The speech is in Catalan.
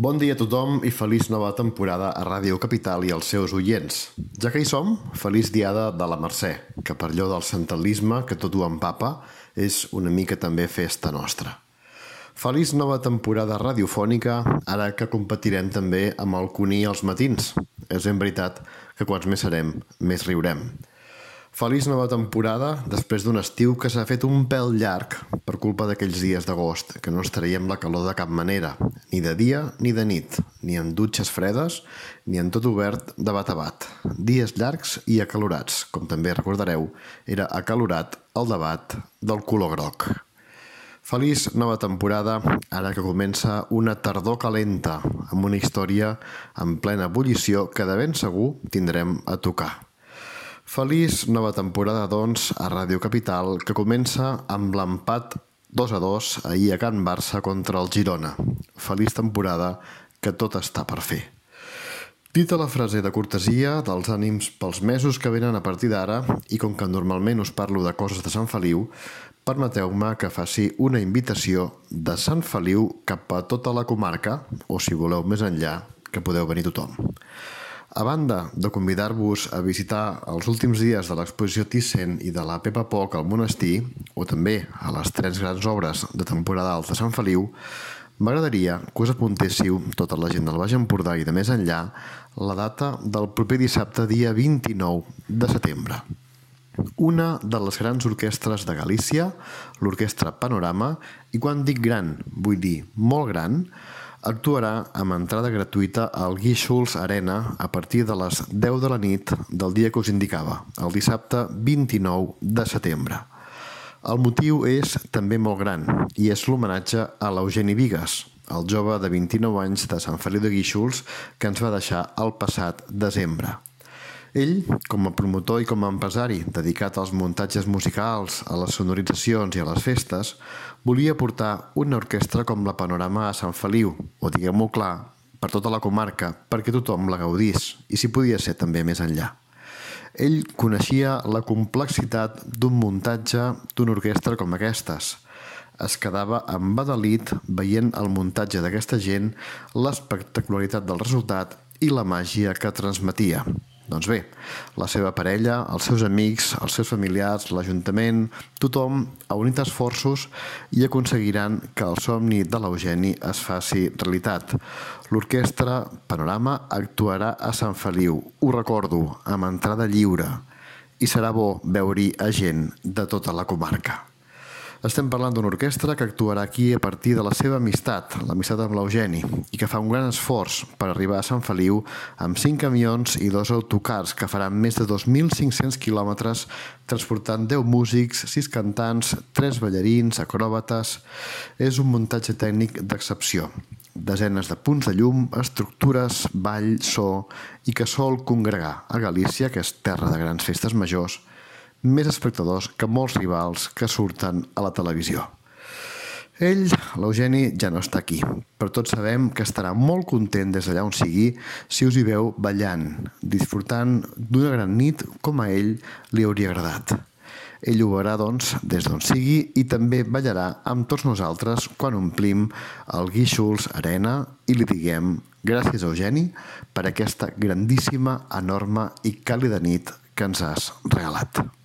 Bon dia a tothom i feliç nova temporada a Ràdio Capital i als seus oients. Ja que hi som, feliç diada de la Mercè, que per allò del centralisme que tot ho empapa és una mica també festa nostra. Feliç nova temporada radiofònica, ara que competirem també amb el Cuní als matins. És ben veritat que quants més serem, més riurem. Feliç nova temporada després d'un estiu que s'ha fet un pèl llarg per culpa d'aquells dies d'agost, que no ens traiem la calor de cap manera, ni de dia ni de nit, ni en dutxes fredes, ni en tot obert de bat a bat. Dies llargs i acalorats, com també recordareu, era acalorat el debat del color groc. Feliç nova temporada, ara que comença una tardor calenta, amb una història en plena ebullició que de ben segur tindrem a tocar. Feliç nova temporada, doncs, a Ràdio Capital, que comença amb l'empat 2-2 ahir a Can Barça contra el Girona. Feliç temporada, que tot està per fer. Dita la frase de cortesia, dels ànims pels mesos que venen a partir d'ara, i com que normalment us parlo de coses de Sant Feliu, permeteu-me que faci una invitació de Sant Feliu cap a tota la comarca, o si voleu més enllà, que podeu venir tothom. A banda de convidar-vos a visitar els últims dies de l'exposició Thyssen i de la Pepa Poc al monestir, o també a les 3 grans obres de temporada alta de Sant Feliu, m'agradaria que us apuntéssiu, tota la gent del Baix Empordà i de més enllà, la data del proper dissabte, dia 29 de setembre. Una de les grans orquestres de Galícia, l'Orquestra Panorama, i quan dic gran, vull dir molt gran, actuarà amb entrada gratuïta al Guíxols Arena a partir de les 10 de la nit del dia que us indicava, el dissabte 29 de setembre. El motiu és també molt gran i és l'homenatge a l'Eugeni Bigues, el jove de 29 anys de Sant Feliu de Guíxols que ens va deixar el passat desembre. Ell, com a promotor i com a empresari dedicat als muntatges musicals, a les sonoritzacions i a les festes, volia portar una orquestra com la Panorama a Sant Feliu, o diguem-ho clar, per tota la comarca, perquè tothom la gaudís, i si podia ser també més enllà. Ell coneixia la complexitat d'un muntatge d'una orquestra com aquestes. Es quedava embadalit veient el muntatge d'aquesta gent, l'espectacularitat del resultat i la màgia que transmetia. Doncs bé, la seva parella, els seus amics, els seus familiars, l'Ajuntament, tothom ha unit esforços i aconseguiran que el somni de l'Eugeni es faci realitat. L'Orquestra Panorama actuarà a Sant Feliu, ho recordo, amb entrada lliure, i serà bo veure-hi a gent de tota la comarca. Estem parlant d'una orquestra que actuarà aquí a partir de la seva amistat, l'amistat amb l'Eugeni, i que fa un gran esforç per arribar a Sant Feliu amb 5 camions i 2 autocars que faran més de 2.500 quilòmetres transportant 10 músics, 6 cantants, 3 ballarins, acròbates. És un muntatge tècnic d'excepció. Desenes de punts de llum, estructures, ball, so, i que sol congregar a Galícia, que és terra de grans festes majors, més espectadors que molts rivals que surten a la televisió. Ell, l'Eugeni, ja no està aquí, però tots sabem que estarà molt content des d'allà on sigui si us hi veu ballant, disfrutant d'una gran nit com a ell li hauria agradat. Ell ho veurà, doncs, des d'on sigui i també ballarà amb tots nosaltres quan omplim el Guíxols Arena i li diguem gràcies, Eugeni, per aquesta grandíssima, enorme i càlida nit que ens has regalat.